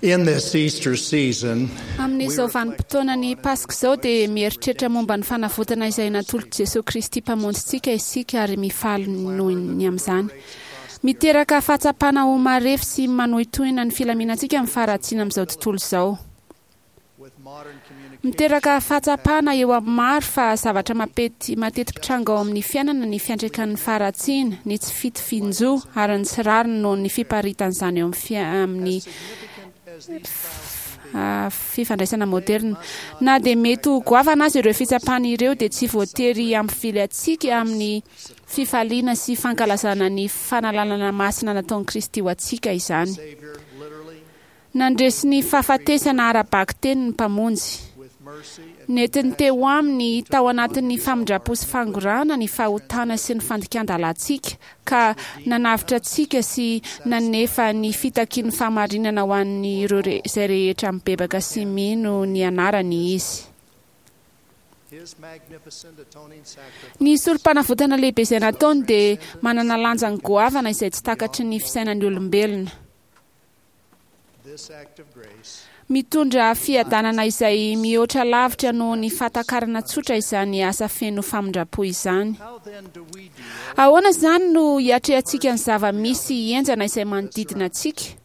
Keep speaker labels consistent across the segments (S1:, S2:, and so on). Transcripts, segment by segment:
S1: In this Easter season,
S2: Amin'izao vanim-potoanan'ny Paska izao dia mieritreritra momba ny fanavotana izay natolotr'i Jesoa Kristy Mpamonjintsika isika ary mifaly noho ny amin'izany. Miteraka fahatsapana ho marefo sy manohintohina ny filaminantsika ny faharatsiana amin'izao tontolo izao. Miteraka fahatsapana eo amin'ny maro fa zavatra mapety mateti-pitranga ao amin'ny fiainana ny fiantraikan'ny faharatsiana, ny tsy fitovian-jo ary ny tsy rariny noho ny fiparitan'izany eo amin'ny fifandraisana moderina. Na dia mety ho goavana aza ireo fitsapana ireo dia tsy voatery hampivily antsika amin'ny fifaliana sy fankalazana ny fanalanana masina nataon'i Kristy ho antsika izany. Nandresy ny fahafatesana ara-bakiteny ny Mpamonjy. Nentiny teo Aminy tao anatin'ny famindram-po sy fangorahana ny fahotana sy ny fandikan-dalàntsika, ka nanavotra antsika sy nanefa ny fitakian'ny fahamarinana ho an'ireo izay rehetra mibebaka sy mino ny anarany Izy. Ny sorompanavotana lehibe izay nataony dia manana lanjany goavana izay tsy takatry ny fisainan'ny olombelona. Mitondra fiadanana izay mihoatra lavitra noho ny fahatakarana tsotra izany asa feno famindram-po izany. Ahoana izany no hiatrehantsika ny zava-misy henjana izay manodidina antsika?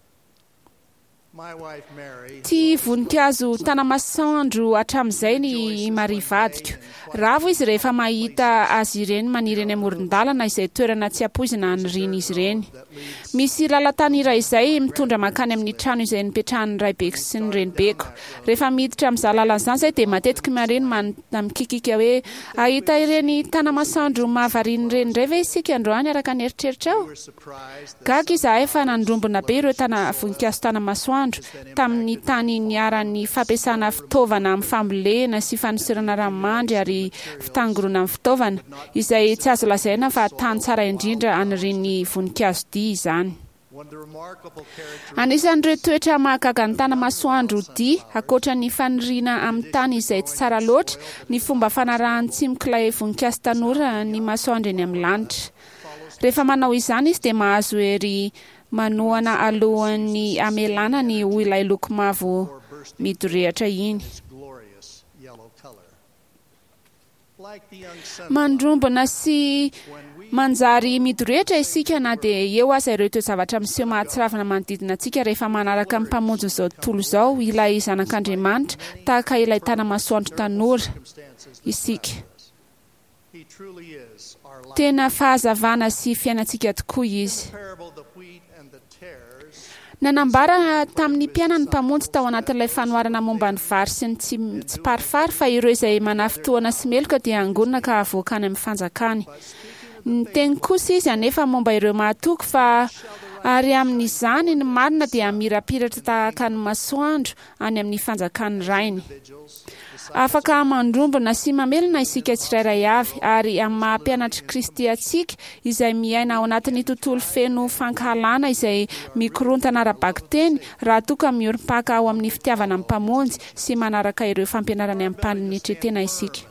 S2: Tia voninkazo tanamasoandro hatramin'izay ny i Maria vadiko. Ravo izy rehefa mahita azy ireny maniry eny amoron-dalana izay toerana tsy ampoizina hanirian'izy ireny. Misy lalan-tany iray izay mitondra mankany amin'ny trano izay nipetrahan'ny raibeko sy ny renibeko. Rehefa miditra amin'izany lalana izany izahay dia matetika i Maria no mikikika hoe, Hahita ireny tanamasoandro mahavariana ireny indray ve isika androany araka ny eritreritrao? Gaga izahay fa nandrombona be ireo tana voninkazo tanamasoandro tamin'ny tany niharan'ny fampiasana fitaovana amin'ny fambolena sy fanosorana ranomandry ary fitangorona amin'ny fitaovana, izay tsy azo lazaina fa tany tsara indrindra anirian'ny voninkazo dia izany. Anisan'ireo toetra mahagaga ny tanamasoandro dia, ankoatra ny faniriana amin'ny tany izay tsy tsara loatra, ny fomba fanarahan'ny tsimok'ilay voninkazo tanora ny masoandro eny amin'ny lanitra. Rehefa manao izany izy dia mahazo hery manohana alohan'ny hamelana ny ho ilay loko mavo midorehatra iny. Mandrombona sy manjary midorehitra isika na dia eo aza ireo toe-javatra miseho mahatsiravina manodidina antsika rehefa manaraka ny Mpamonjin'izao tontolo izao, ilay Zanak'Andriamanitra, tahaka ilay tana-masoandro tanora, isika. Tena fahazavana sy fiainantsika tokoa Izy. Nanambara tamin'ny mpianany ny Mpamonjy tao anatin'ilay fanoharana momba ny vary sy ny tsimparifary fa ireo izay manafintohina sy meloka dia hangonina ka havoaka any amin'ny fanjakany. Niteny kosa Izy anefa momba ireo mahatoky fa ary amin'izany ny marina dia hamirapiratra tahaka ny masoandro any amin'ny fanjakan'ny Rainy. Afaka mandrombona sy mamelona isika tsirairay avy, ary amin'ny maha-mpianatr'i Kristy antsika, izay miaina ao anatin'ny tontolo feno fankahalana izay mikorontana ara-bakiteny, raha toa ka miorim-paka ao amin'ny fitiavana ny Mpamonjy sy manaraka ireo fampianarany amim-panetren-tena isika.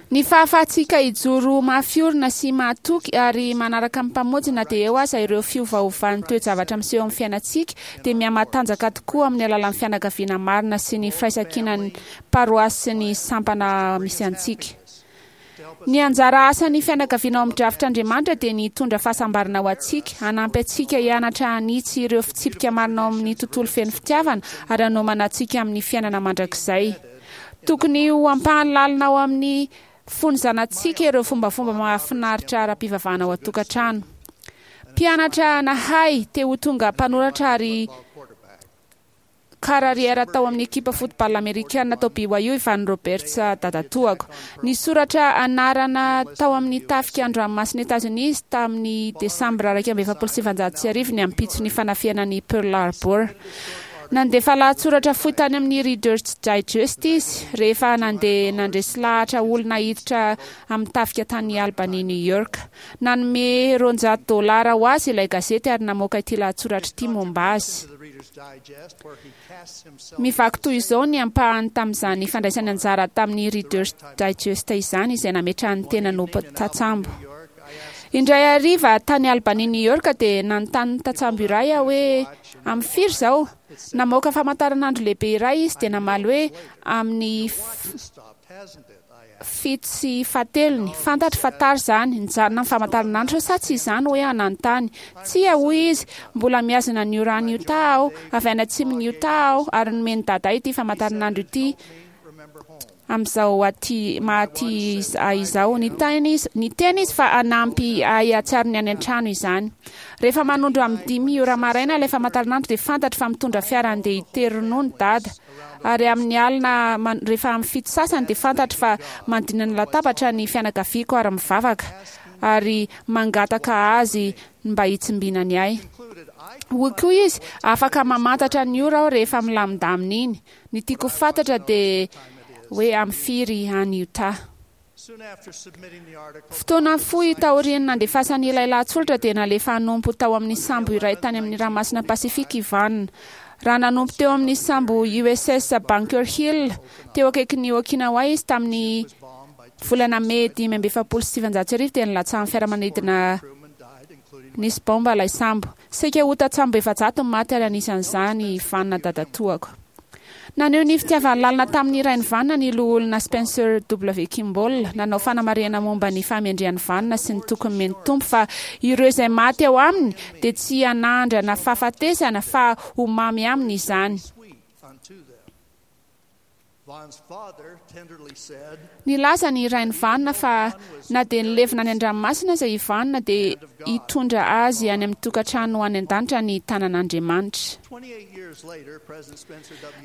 S2: Ny fahafahantsika hijoro ho mafy orina sy mahatoky ary manaraka ny Mpamonjy na dia eo aza ireo fiovaovan'ny toe-javatra miseho amin'ny fiainantsika dia mihamatanjaka tokoa amin'ny alalan'ny fianakaviana marina sy ny firaisankinan'ny paroasy sy ny sampana misy antsika. Ny anjara asan'ny fianakaviana ao amin'ny drafitr'Andriamanitra dia ny hitondra fahasambarana ho antsika, hanampy antsika hianatra hanitsy ireo fitsipika marina ao amin'ny tontolo feno fitiavana ary hanomana antsika amin'ny fiainana mandrakizay. Tokony ho ampahany lalina ao amin'ny fon'ny zanatsika ireo fombafomba mahafinaritra ara-pivavahana ao an-tokantrano. Mpianatra nahay, te ho tonga mpanoratra ary karariera tao amin'ny ekipa football amerikana tao BYU i Van Roberts dadatoako. Nisoratra anarana tao amin'ny tafika an-dranomasin'i Etazonia izy tamin'ny Desambra 1941 ny ampitson'ny fanafihana an'i Pearl Harbor. Nandefa lahatsoratra fohy tany amin'ny Reader's Digest izy, rehefa nandeha nandresy lahatra olona hiditra amin'ny tafika tany Albany, New York. Nanome 200 dolara ho azy ilay gazety ary namoaka ity lahatsoratra ity momba azy. Mivaky toy izao ny ampahany tamin'izany fandraisany anjara tamin'ny Reader's Digest izany, izay nametrahany tenany ho tantsambo. Indray hariva tany Albany, New York dia nanontany ny tantsambo iray aho hoe, Amin'ny firy izao? Namoaka famantaranandro lehibe iray izy dia namaly hoe, Amin'ny fito sy fahatelony. Fantatro fa tara izany. Nijanona ny famantaranandro sa tsy izany hoy aho nanontany. Tsia, hoy izy, mbola mihazona ny ora any Utah aho. Avy any atsimon'i Utah aho ary nomen'i Dada ity famantaranandro ity. Amin'izao aty maha aty ahy izao. Niteny izy, niteny izy fa hanampy ahy hahatsiaro ny any an-trano izany. Rehefa manondro amin'ny dimy ora maraina ilay famantaranandro dia fantatro fa mitondra fiara handeha hitery ronono Dada. Ary amin'ny alina rehefa amin'ny fito sasany dia fantatro fa manodidina ny latabatra ny fianakaviako ary mivavaka ary mangataka azy mba hitsimbinany ahy. Hoy koa izy, afaka mamantatra ny ora aho rehefa milamindamina iny. Ny tiako ho fantatra dia hoe amin'ny firy any Utah. Fotoana fohy taorian'ny nandefasany ilay lahatsoratra dia nalefa hanompo tao amin'ny sambo iray tany amin'ny Ranomasina Pasifika i Van. Raha nanompo teo amin'ny sambo USS Bunker Hill teo akaikin'i Okinawa izy tamin'ny volana Mey 1945 dia nilatsahan'ny fiaramanidina nisy baomba ilay sambo. Saika ho tantsambo 400 ny maty ary anisan'izany i Vanna dadatoako. Naneho ny fitiavany lalina tamin'ny rain'i Vanna ny Loholona Spencer W. Kimball, nanao fanamarihana momba ny fahamendrehan'i Vanna sy ny toky nomen'ny Tompo fa ireo izay maty ao aminy dia tsy hanandrana fahafatesana fa ho mamy aminy izany. Nilaza ny rain'i Vanna fa na dia nilevina any an-dranomasina aza i Vanna dia hitondra azy any amin'ny tokantrano any an-danitra ny tanan'Andriamanitra.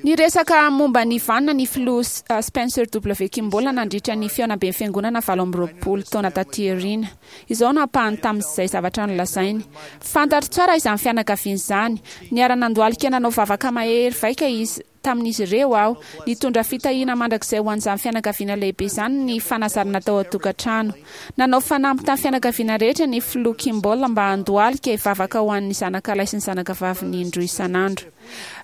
S2: Niresaka momba an'i Vanna ny Filoha Spencer W. Kimball nandritra ny fihaonamben'ny Fiangonana 28 taona taty aoriana. Izao no ampahany tamin'izay zavatra nolazainy, Fantatro tsara izany fianakaviana izany. Niara-nandohalika nanao vavaka mahery vaika izy tamin'izy ireo aho. Nitondra fitahiana mandrakizay ho an'izany fianakaviana lehibe izany ny fanazarana tao an-tokantrano. Nanao fanamby tamin'ny fianakaviana rehetra ny Filoha Kimball mba handohalika hivavaka ho an'ny zanakalahy sy ny zanakavaviny indroa isan'andro.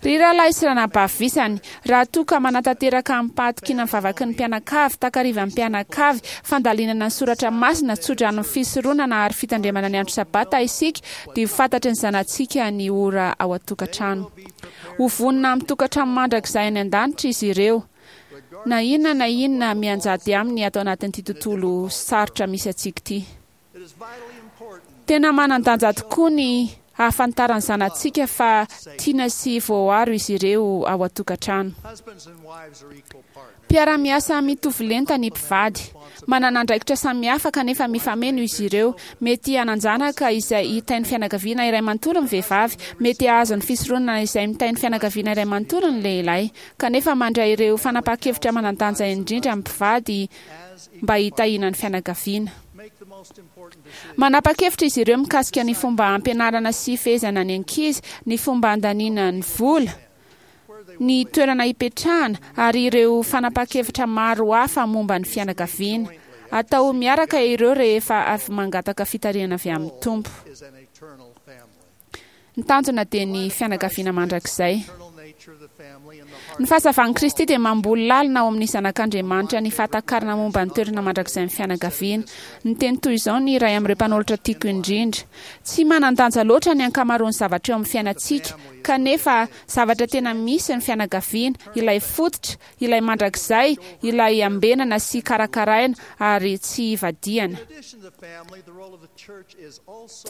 S2: Ry rahalahy sy ranabavy visany, raha toa ka manatanteraka amim-pahatokiana ny vavaky ny mpianakavy, takarivan'ny mpianakavy, fandalinana ny soratra masina, tsodranon'ny fisoronana ary fitandremana ny andro Sabata isika, dia ho fantatry ny zanatsika ny ora ao an-tokantrano. Ho vonona amin'ny tokantrano mandrakizay any an-danitra izy ireo, na inona na inona mianjady aminy ato anatin'ity tontolo sarotra misy antsika ity. Tena manan-danja tokoa ny hahafantaran'ny zanatsika fa tiana sy voaaro izy ireo ao an-tokantrano. Mpiara-miasa mitovy lenta ny mpivady. Manana andraikitra samihafa kanefa mifameno izy ireo. Mety hanan-janaka izay hitahy ny fianakaviana iray manontolo ny vehivavy. Mety hahazo ny fisoronana izay mitahy ny fianakaviana iray manontolo ny lehilahy. Kanefa mandray ireo fanapahan-kevitra manan-danja indrindra ny mpivady mba hitahiana ny fianakaviana. Manapa-kevitra izy ireo mikasika ny fomba hampianarana sy hifehezana ny ankizy, ny fomba handaniana ny vola, ny toerana hipetrahana ary ireo fanapahan-kevitra maro hafa momba ny fianakaviana. Atao miaraka ireo rehefa avy mangataka fitarihana avy amin'ny Tompo. Ny tanjona dia ny fianakaviana mandrakizay. Ny fahazavan'i Kristy dia mamboly lalina ao amin'ny zanak'Andriamanitra ny fahatakarana momba ny toerana mandrakizain'ny fianakaviana. Niteny toy izao ny iray amin'ireo mpanolotra tiako indrindra, Tsy manan-danja loatra ny ankamaroan'ny zavatra eo amin'ny fiainantsika, Kanefa, zavatra tena misy ny fianakaviana, ilay fototra, ilay mandrakizay, ilay ambenana sy karakaraina ary tsy ivadihana.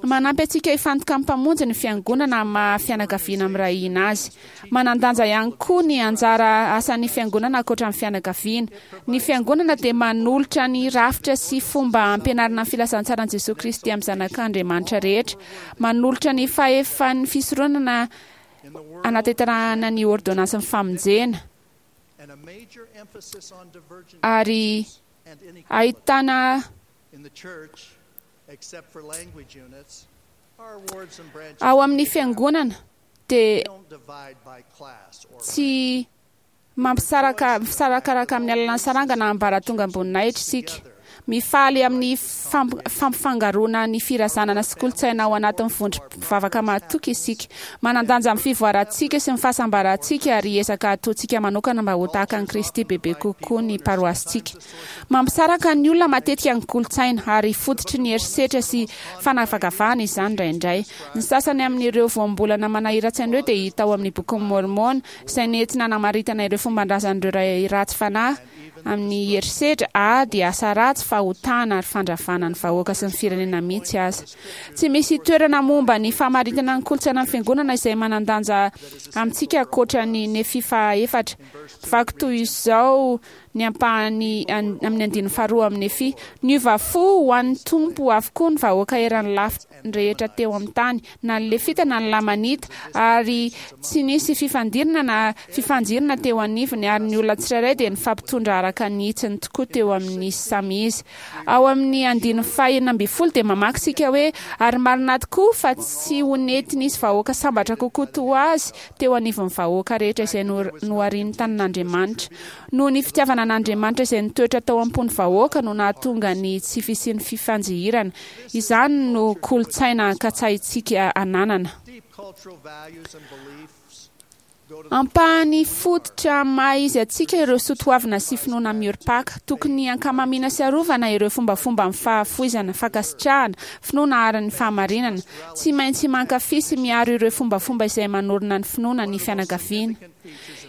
S2: Manampy antsika hifantoka amin'ny Mpamonjy ny Fiangonana amin'ny maha fianakaviana miray hina azy. Manan-danja ihany koa ny anjara asan'ny Fiangonana ankoatra ny fianakaviana. Ny Fiangonana dia manolotra ny rafitra sy fomba hampianarana ny filazantsaran'i Jesoa Kristy amin'ny zanak'Andriamanitra rehetra. Manolotra ny fahefan'ny fisoronana hanatanterahana ny ôrdônansin'ny famonjena ary ahitana ao amin'ny Fiangonana dia tsy mampisaraka misarakaraka amin'ny alalan'ny saranga na ambaratongam-boninahitra isika. Mifaly amin'ny fampifangaroana ny firazanana sy kolontsaina ao anatin'ny vondrom-pivavaka mahatoky isika. Manan-danja amin'ny fivoarantsika sy ny fahasambarantsika ary ezaka ataontsika manokana mba ho tahaka an'i Kristy bebe kokoa ny paroasintsika. Mampisaraka ny olona matetika ny kolontsaina, ary fototry ny herisetra sy fanavakavahana izany indraindray. Ny sasany amin'ireo voambolana manahiran-tsaina ireo dia hita ao amin'ny Bokin'i Môrmôna, izay nentina namaritana ireo fomban-drazan'ireo ray ratsy fanahy amin'ny herisetra, ady, asa ratsy, fahotana ary fandravana ny vahoaka sy ny firenena mihitsy aza. Tsy misy toerana momba ny famaritana ny kolontsaina ny Fiangonana izay manan-danja amintsika ankoatra ny Nefia fahaefatra. Mivaky toy izao ny ampahany amin'ny andininy faharoa amin'ny Nefia, Niova fo ho an'ny Tompo avokoa ny vahoaka eran'ny lafiny rehetra teo amin'ny tany, na ny Lefita na ny Lamanita, ary tsy nisy fifandirana na fifanjirana teo anivony, ary ny olona tsirairay dia nifampitondra araka ny hitsiny tokoa teo amin'izy samy izy. Ao amin'ny andininy faha-16 dia mamaky isika hoe, Ary marina tokoa fa tsy ho nety nisy vahoaka sambatra kokoa toa azy teo anivon'ny vahoaka rehetra izay noharian'ny tanan'Andriamanitra. Noho ny fitiavana an'Andriamanitra izay nitoetra tao am-pon'ny vahoaka no nahatonga ny tsy fisian'ny fifanjihirana. Izany no kolontsaina katsahintsika ananana. Ampahany fototra maha izy antsika ireo soatoavina sy finoana miorim-paka. Tokony hankamamiana sy arovana ireo fombafomba amin'ny fahafoizana, fankasitrahana, finoana ary ny fahamarinana. Tsy maintsy mankafy sy miaro ireo fombafomba izay manorina ny finoana ny fianakaviana.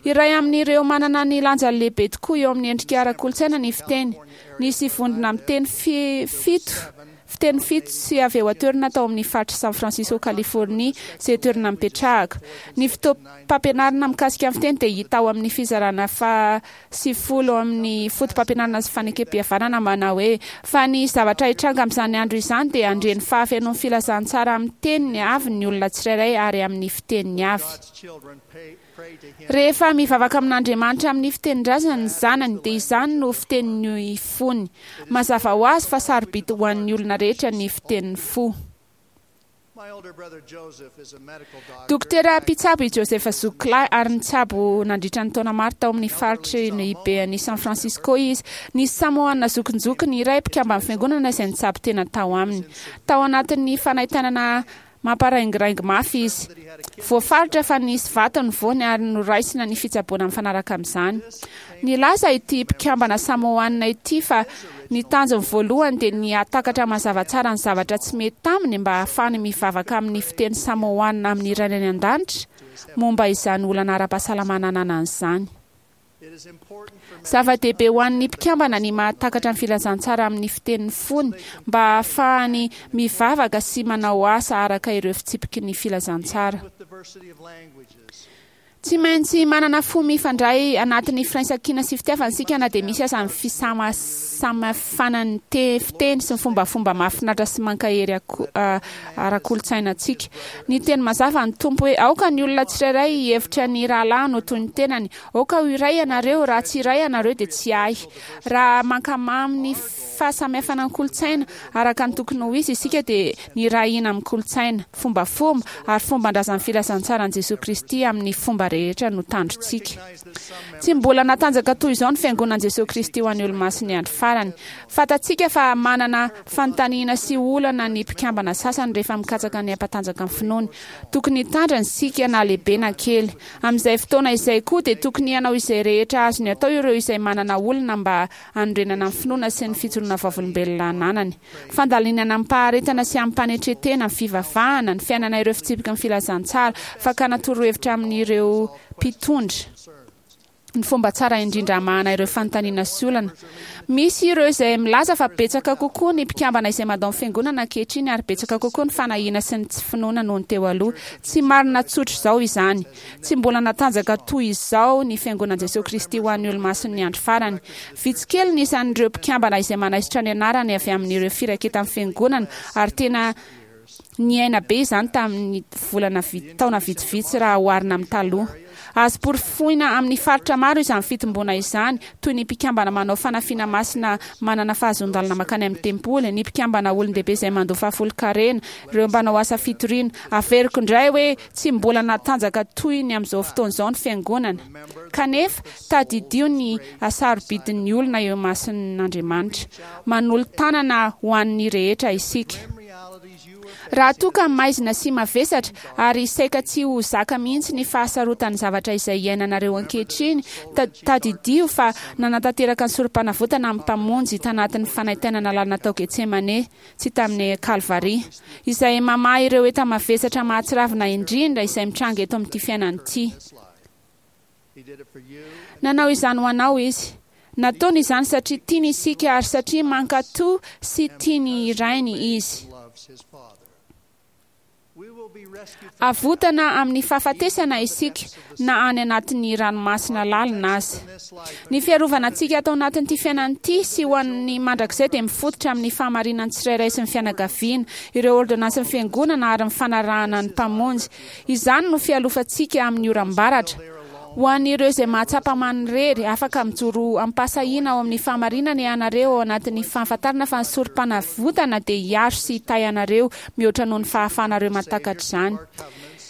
S2: Iray amin'ireo manana ny lanjany lehibe tokoa eo amin'ny endrika ara-kolontsaina ny fiteny. Nisy vondrona miteny fito Fiteny fito sy avy eo an-toerana tao amin'ny faritr'i San Francisco, Californie, izay toerana nipetrahako. Ny fotoam-pampianarana mikasika ny fiteny dia hita ao amin'ny fizarana faha 90 ao amin'ny Fotopampianarana sy Fanekempihavanana manao hoe, Fa ny zavatra hitranga amin'izany andro izany dia handre ny fahafenoan'ny filazantsara amin'ny teniny avy ny olona tsirairay ary amin'ny fiteniny avy. Rehefa mivavaka amin'Andriamanitra amin'ny fitenin-drazany ny zanany, dia izany no fitenin'ny fony. Mazava ho azy fa sarobidy ho an'ny olona rehetra ny fitenin'ny fo. Dokotera mpitsabo i Joseph Zokolahy ary nitsabo nandritra ny taona maro tao amin'ny faritry ny Baie-n'i San Francisco izy. Nisy Samoana zokinjokiny iray mpikamban'ny fiangonana izay nitsabo tena tao aminy. Tao anatin'ny fanaintainana Mamparaingiraingy mafy izy. Voafaritra fa nisy vato ny voany ary noraisina ny fitsaboana mifanaraka amin'izany. Nilaza ity mpikambana Samoana ity fa ny tanjony voalohany dia ny hahatakatra mazava tsara ny zavatra tsy mety taminy mba hahafahany mivavaka amin'ny fiteny Samoana amin'ny Rainy any An-danitra momba izany olana ara-pahasalamana ananany izany. Zava-dehibe ho an'ny mpikambana ny mahatakatra ny filazantsara amin'ny fitenin'ny fony mba hahafahany mivavaka sy manao asa araka ireo fitsipiky ny filazantsara. Tsy maintsy manana fo mifandray anatin'ny firaisankina sy fitiavana isika na dia misy aza ny fisamasamafana ny fiteny sy ny fombafomba mahafinaritra sy mankahery ara-kolontsaina antsika. Niteny mazava ny Tompo hoe, Aoka ny olona tsirairay hihevitra ny rahalahiny ho toy ny tenany. Aoka ho iray ianareo, raha tsy iray ianareo dia tsy ahy. Raha mankamamy ny fahasamihafana ny kolontsaina araka ny tokony ho izy isika dia nirahina amin'ny kolontsaina, fombafomba ary fomban-drazan'ny filazantsaran'i Jesoa Kristy amin'ny fomba rehetra no tandrotsika. Tsy mbola natanjaka toy izao ny Fiangonan'i Jesoa Kristy ho an'ny Olomasin'ny Andro Farany. Fantatsika fa manana fanontaniana sy olana ny mpikambana sasany rehefa mikatsaka ny hampatanjaka ny finoany. Tokony hitandrina isika na lehibe na kely. Amin'izay fotoana izay koa dia tokony hanao izay rehetra azony atao ireo izay manana olana mba hanorenana ny finoana sy ny fijoroana vavolombelona ananany. Fandalinana amim-paharetana sy amim-panetren-tena ny fivavahana, ny fiainana ireo fitsipiky ny filazantsara, fakana torohevitra amin'ireo mpitondra, ny fomba tsara indrindra hamahana ireo fanontaniana sy olana. Misy ireo izay milaza fa betsaka kokoa ny mpikambana izay mandao ny Fiangonana ankehitriny ary betsaka kokoa ny fanahiana sy ny tsy finoana noho ny teo aloha. Tsy marina tsotra izao izany. Tsy mbola natanjaka toy izao ny Fiangonan'i Jesoa Kristy ho an'ny Olomasin'ny Andro Farany. Vitsy kely ny isan'ireo mpikambana izay manaisotra ny anarany avy amin'ireo firaketan'ny Fiangonana ary tena. Niaina be izany tamin'ny volana taona vitsivitsy raha oharina amin'ny taloha. Azo porofoina amin'ny faritra maro izany fitomboana izany, toy ny mpikambana manao fanafiana masina manana fahazoan-dalana mankany amin'ny tempoly, ny mpikambana olon-dehibe izay mandoa fahafolonkarena, ireo mpanao asa fitoriana. Averiko indray hoe tsy mbola natanjaka toy ny amin'izao fotoana izao ny Fiangonana. Kanefa, tadidio ny hasarobidin'ny olona eo imason'Andriamanitra. Manolo-tanana ho an'ny rehetra isika. Raha toa ka maizina sy mavesatra ary saika tsy ho zaka mihitsy ny fahasarotan'ny zavatra izay iainanareo ankehitriny, tadidio fa nanatanteraka ny Sorompanavotana amin'ny Mpamonjy tanatin'ny fanaintainana lalina tao Getsemane sy tamin'ny Kalvary, izay mamaha ireo enta-mavesatra mahatsiravina indrindra izay mitranga eto amin'ity fiainana ity. Nanao izany ho anao Izy. Nataony izany satria tiany isika ary satria mankatò sy tia ny Rainy Izy. Avotana amin'ny fahafatesana isika na any anatin'ny ranomasina lalina aza. Ny fiarovana antsika ato anatin'ity fiainana ity sy ho an'ny mandrakizay dia mifototra amin'ny fahamarinan'ny tsirairay sy ny fianakaviana, ireo ôrdônansin'ny Fiangonana ary ny fanarahana ny Mpamonjy. Izany no fialofantsika amin'ny oram-baratra. Ho an'ireo izay mahatsapa manirery, afaka mijoro amim-pahasahiana ao amin'ny fahamarinana ianareo ao anatin'ny fahafantarana fa ny Sorompanavotana dia hiaro sy hitahy anareo mihoatra noho ny fahafahanareo mahatakatra izany.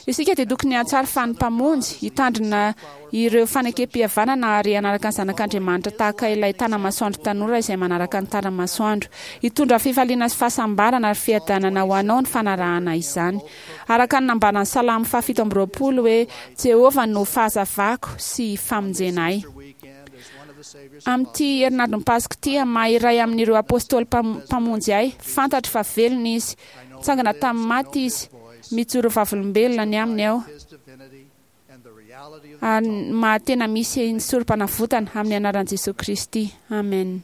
S2: Isika dia tokony hahatsiaro fa ny Mpamonjy, hitandrina ireo fanekem-pihavanana ary hanaraka ny Zanak'Andriamanitra tahaka ilay tana-masoandro tanora izay manaraka ny tara-masoandro. Hitondra fifaliana sy fahasambarana ary fiadanana ho anao ny fanarahana izany. Araka ny nambaran'ny Salamo fahafito amby roapolo hoe, Jehovah no fahazavako sy famonjena ahy. Amin'ity herinandron'ny Paska ity, amin'ny maha iray amin'ireo Apôstôly Mpamonjy ahy, fantatro fa velona Izy. Nitsangana tamin'ny maty Izy. Mijoro vavolombelona ny Aminy aho. Ary ny maha tena misy ny Sorompanavotana, amin'ny anaran'i Jesoa Kristy. Amen.